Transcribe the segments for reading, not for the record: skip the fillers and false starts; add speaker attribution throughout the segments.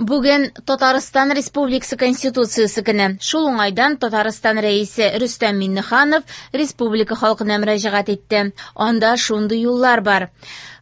Speaker 1: Бүген Татарстан Республикасы Конституциясе көне. Шул уңайдан Татарстан Рәисе Рөстәм Миңнеханов республика халкына мөрәҗәгать итте. Анда шундый юллар бар: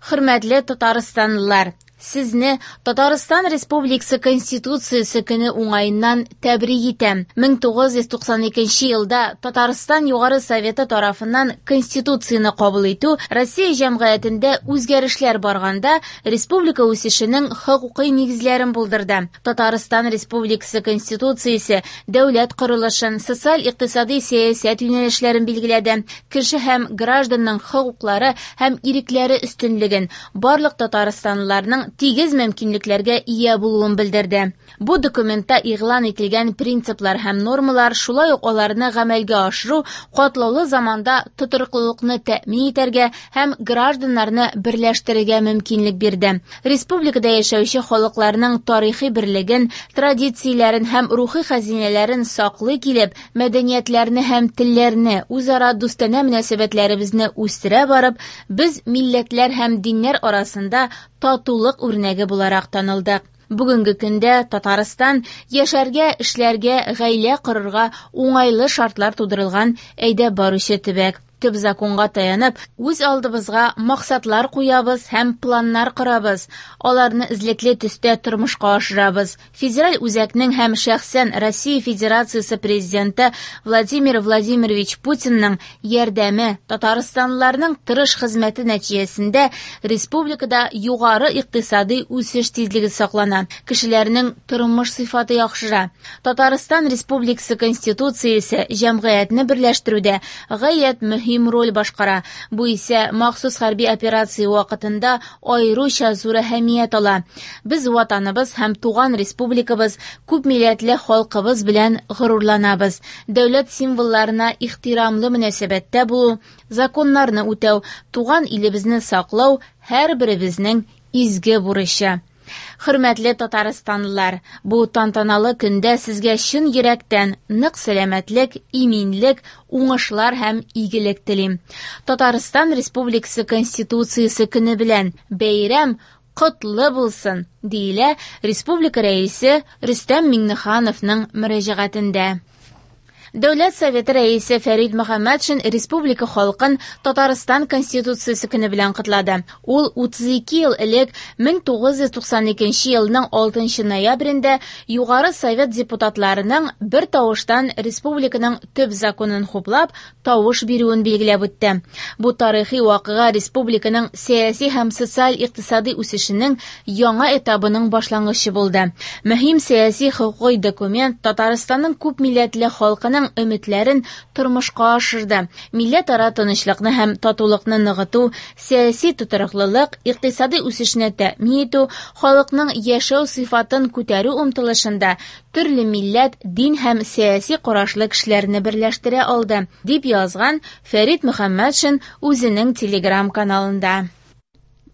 Speaker 1: Хөрмәтле татарстанлылар, сезне Татарстан Республикасы Конституциясе көне уңаеннан тәбрик итәм. 1992 елда Татарстан Югары Советы тарафыннан Конституцияне кабул итү Россия җәмгыятендә үзгәрешләр барганда республика үсешенең хокукый нигезләрен булдырды. Татарстан Республикасы Конституциясе дәүләт корылышын, социаль-икътисади сәясәт юнәлешләрен билгеләде, кеше һәм гражданның хокуклары һәм ирекләре өстенлеген, барлык татарстанлыларның тигез мөмкинлекләргә ия булуын белдерде. Бу документта игълан ителгән принциплар һәм нормалар, шулай ук аларны гамәлгә ашыру катлаулы заманда тотрыклылыкны тәэмин итәргә һәм гражданнарны берләштерергә мөмкинлек бирде. Республикада яшәүче халыкларның тарихи берлеген, традицияләрен һәм рухи хәзинәләрен саклый килеп, мәдәниятләрне һәм телләрне, үзара дустанә мөнәсәбәтләребезне үстерә барып, без милләтләр һәм диннәр арасында татулык үрнәге буларак танылдык. Бүгенге көндә Татарстан яшәргә, эшләргә, гаилә корырга уңайлы шартлар тудырылган әйдәп баручы төбәк. Төп законга таянып, үз алдыбызга максатлар куябыз һәм планнар корабыз. Аларны эзлекле төстә тормышка ашырабыз. Федераль үзәкнең һәм шәхсән Россия Федерациясе Президенты Владимир Владимирович Путинның ярдәме, татарстанлыларның тырыш хезмәте нәтиҗәсендә республикада югары икътисади үсеш тизлеге саклана, кешеләрнең тормыш сыйфаты яхшыра. Татарстан Республикасы Конституциясе җәмгыятьне берләштерүдә гаять мөһим роль башкара. Бу исә махсус хәрби операция вакытында аеруча зур әһәмият ала. Без ватаныбыз һәм туган республикабыз, күп милләтле халкыбыз белән горурланабыз. Дәүләт символларына ихтирамлы мөнәсәбәттә булу, законнарны үтәү, туган илебезне саклау һәрберебезнең изге бурычы. Хөрмәтле татарстанлылар, бу тантаналы көндә сезгә чын йөрәктән нык сәламәтлек, иминлек, уңышлар һәм игелек телим. Татарстан Республикасы Конституциясе көне белән бәйрәм котлы булсын, диелә республика Рәисе Рөстәм Миңнехановның мөрәҗәгатендә. Дәүләт Советы Рәисе Фәрид Мөхәммәтшин республика халкын Татарстан Конституциясе көне белән котлады. Ул 32 ел элек 1992 елның 6 ноябрендә Югары Совет депутатларының бер тавыштан республиканың төп законын хуплап, тавыш бирүен билгеләп үтте. Бу тарихи вакыйга республиканың сәяси һәм социаль-икътисади үсешенең яңа этабының башлангычы булды. Мөһим сәяси хокукый документ Татарстанның күп милләтле халкының өметләрен тормышка ашырды. Милләтара тынычлыкны һәм татулыкны ныгыту, сәяси тотрыклылык, икътисади үсешне тәэмин итү, халыкның яшәү сыйфатын күтәрү омтылышында төрле милләт, дин һәм сәяси карашлы кешеләрне берләштерә алды, дип язган Фәрид Мөхәммәтшин үзенең Телеграм-каналында.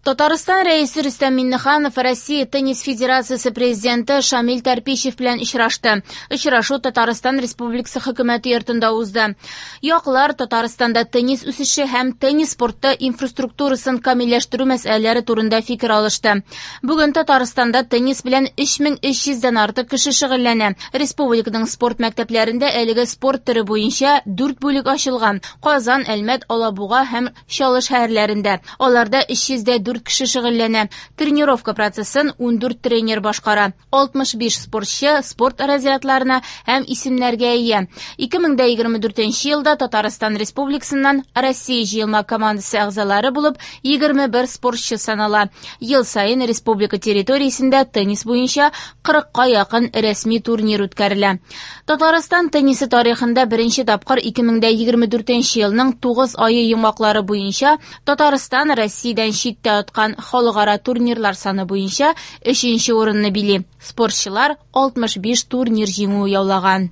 Speaker 1: Татарстан Рәисе Рөстәм Миңнеханов Россия Теннис Федерациясе президенты Шамил Тарпищев белән очрашты. Очрашу Татарстан Республикасы Хөкүмәте йортында узды. Яклар Татарстанда теннис үсеше һәм теннис спорты инфраструктурасын камилләштерү мәсьәләләре турында фикер алышты. Бүген Татарстанда теннис белән 3300 дән артык кеше шөгыльләнә. Республиканың спорт мәктәпләрендә әлеге спорт төре буенча 4 бүлек ачылган. Казан, Әлмәт, Алабуга һәм Чаллы шәһәрләрендә. Аларда 304 кеше шөгыльләнә. Тренировка процессын 14 тренер башкара. 65 спортчы спорт разрядларына һәм исемнәргә ия. 2024 елда Татарстан Республикасыннан Россия җыелма командасы әгъзалары булып 21 спортчы санала. Ел саен республика территориясендә теннис буенча 40-ка якын рәсми турнир үткәрелә. Татарстан теннисы тарихында беренче тапкыр 2024 елның 9 ае йомгаклары буенча Татарстан Россиядән читтә откан халыкара турнирлар саны буенча 3 урынны били. Спортчылар 65 турнир җиңүе яулаган.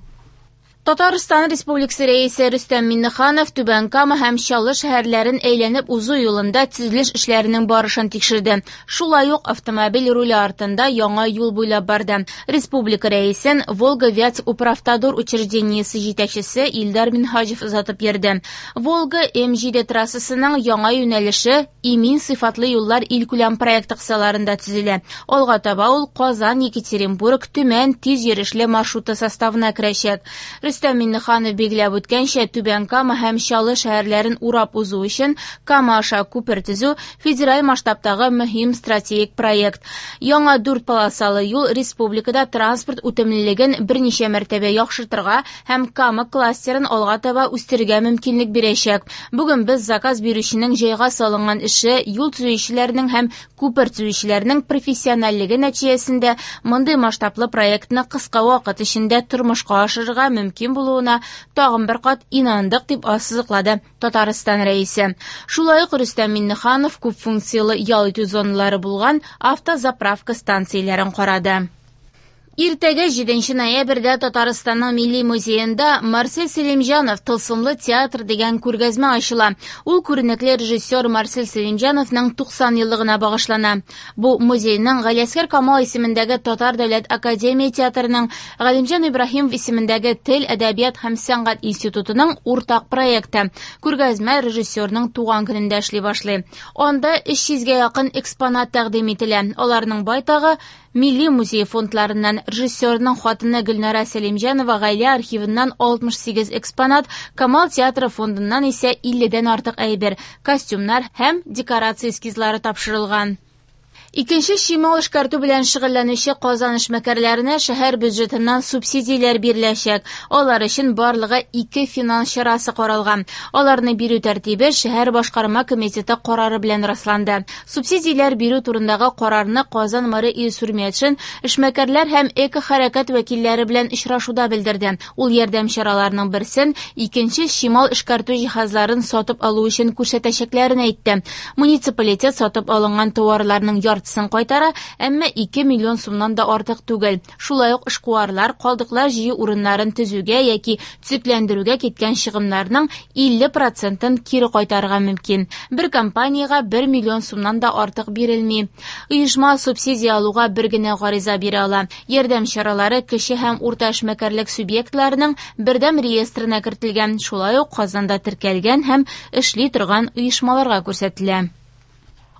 Speaker 1: Татарстан Республикасы Рәисе Рөстәм Миңнеханов Түбән Кама һәм Чаллы шәһәрләрен әйләнеп узу юлында төзелеш эшләренең барышын тикшерде. Шулай ук автомобиль руле артында яңа юл буйлап барды. Республика Рәисен Волга-Вятск-Управтодор учреждениесе җитәкчесе Илдар Минһаҗев озатып йөрде. Волга М7 трассасының яңа юнәлеше Имин сыйфатлы юллар илкүләм проекты кысаларында төзелә. Алга таба ул Казан, Екатеринбург, Төмән тиз йөрешле маршруты составына керәчәк. Рөстәм Миңнеханов билгеләп үткәнчә, Түбән Кама һәм Чаллы шәһәрләрен урап узу өчен Кама аша күпер төзү федераль масштабтагы мөһим стратегик проект. Яңа дүрт полосалы юл республикада транспорт үтемлелеген берничә мәртәбә яхшыртырга һәм Кама кластерын алга таба үстерергә мөмкинлек бирәчәк. Бүген без заказ бирүченең җайга салынган эше, юл төзүчеләрнең һәм күпер төзүчеләрнең профессиональлеге нәтиҗәсендә мондый масштаблы проектны кыска вакыт эчендә тормышка ашырырга мөмкин булуына тагын бер кат инандык, дип ассызыклады Татарстан Рәисе. Шулай ук Рөстәм Миңнеханов күп функцияле ял итү зоналары булган автозаправка станцияләрен карады. Иртәгә 7 ноябрьдә Татарстанның Милли музеенда Марсель Сәлимҗанов «Тылсымлы театр» дигән күргәзмә ачыла. Ул күренекле режиссер Марсель Сәлимҗановның 90 еллыгына багышлана. Бу музейның Галиәсгар Камал исемендәге Татар дәүләт академия театрының Галимҗан Ибраһимов исемендәге Тел, әдәбият һәм сәнгать институтының уртак проекты. Күргәзмә режиссерның туган көнендә эшли башлый. Анда 300гә якын экспонат тәкъдим ителә. Аларның байтагы Милли музей фондларыннан. Режиссерның хатыны Гөлнара Сәлимҗанова гаилә архивыннан 68 экспонат, Камал театры фондыннан исә 50дән артык әйбер, костюмнар һәм декорация эскизлары тапшырылган. Икенче чимал эшкәртү белән шөгыльләнүче Казан эшмәкәрләренә шәһәр бюджетыннан субсидияләр биреләчәк. Алар өчен барлыгы 2 финанс чарасы каралган. Аларны бирү тәртибе шәһәр башкарма комитеты карары белән расланды. Субсидияләр бирү турындагы карарны Казан мэры Илсур Метшин эшмәкәрләр һәм эко-хәрәкәт вәкилләре белән очрашуда белдерде. Ул ярдәм чараларының берсен икенче чимал эшкәртү җиһазларын сатып алу өчен күрсәтәчәкләрен әйтте. Муниципалитет сатып алынган товарларның яртысын кайтара, әмма 2 миллион сумнан да артык түгел. Шулай ук эшкуарлар калдыклар җыю урыннарын төзүгә яки төзекләндерүгә киткән чыгымнарның 50%-ын кире кайтарырга мөмкин. Бер компаниягә 1 миллион сумнан да артык бирелми. Оешма субсидия алуга бер генә гариза бирә ала. Ярдәм чаралары кече һәм урта эшмәкәрлек субъектларының бердәм реестрына кертелгән, шулай ук Казанда теркәлгән һәм эшли торган оешмаларга күрсәтелә.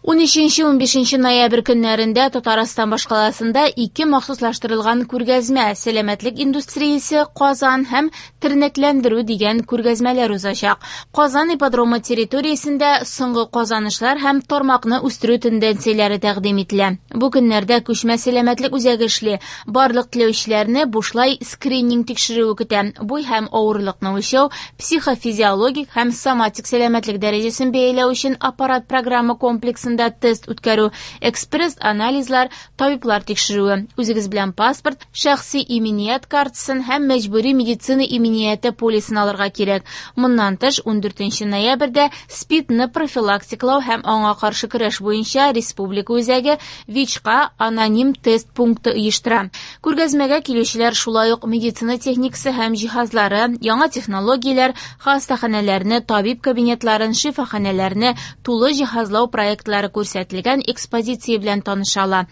Speaker 1: 13-15 ноябрь көннәрендә Татарстан башкаласында 2 махсуслаштырылган күргәзмә «Сәламәтлек индустриясе Казан» һәм «Тернәкләндерү» дигән күргәзмәләр узачак. Казан ипподромы территориясендә соңгы казанышлар һәм тармакны үстерү тенденцияләре тәкъдим ителә. Бу көннәрдә күчмә сәламәтлек үзәге эшли. Барлык теләүчеләрне бушлай скрининг тикшерүе көтә. Буй һәм авырлыкны үлчәү, психофизиологик һәм соматик сәламәтлек дәрәҗәсен бәяләү өчен аппарат программа комплексында тест үткәрү, экспресс-анализлар, табиблар тикшерүе. Үзегез белән паспорт, шәхси иминият картасын һәм мәҗбүри медицина иминияте полисын алырга кирәк. Моннан тыш, 14 ноябрьдә СПИДны профилактикалау һәм аңа каршы көрәш буенча республика үзәге ВИЧка аноним тест пункты оештыра. Күргәзмәгә килүчеләр шулай ук медицина техникасы һәм җиһазлары, яңа технологияләр, хастаханәләрне, табиб кабинетларын, шифаханәләрне тулы җиһазлау проектлары күрсәтелгән экспозиция белән таныша ала.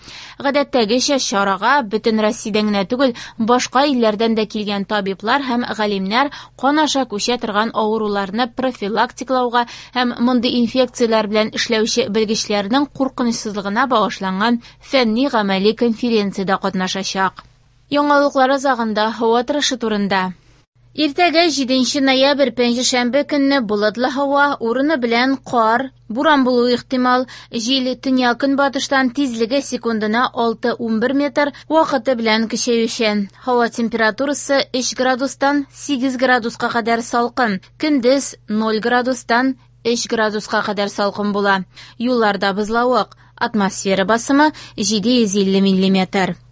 Speaker 1: Гадәттәгечә чарага бөтен Россиядән генә түгел, башка илләрдән дә килгән табиблар һәм галимнәр кан аша күчә торган авыруларны профилактикалауга һәм мондый инфекцияләр белән эшләүче белгечләрнең куркынычсызлыгына багышланган фәнни-гамәли конференциядә катнашачак. Яңалыклар азагында һава торышы турында. Иртәгә 7 ноябрь пәнҗешәмбе көнне болытлы һава, урыны белән кар, буран булуы ихтимал. Җил төньяк-көнбатыштан тизлеге секундына 6-11 метр, вакыты белән көчәючән. Һава температурасы 3 градустан 8 градуска кадәр салкын, көндез 0 градустан 3 градуска кадәр салкын була. Юлларда бозлавык, атмосфера басымы 750 миллиметр.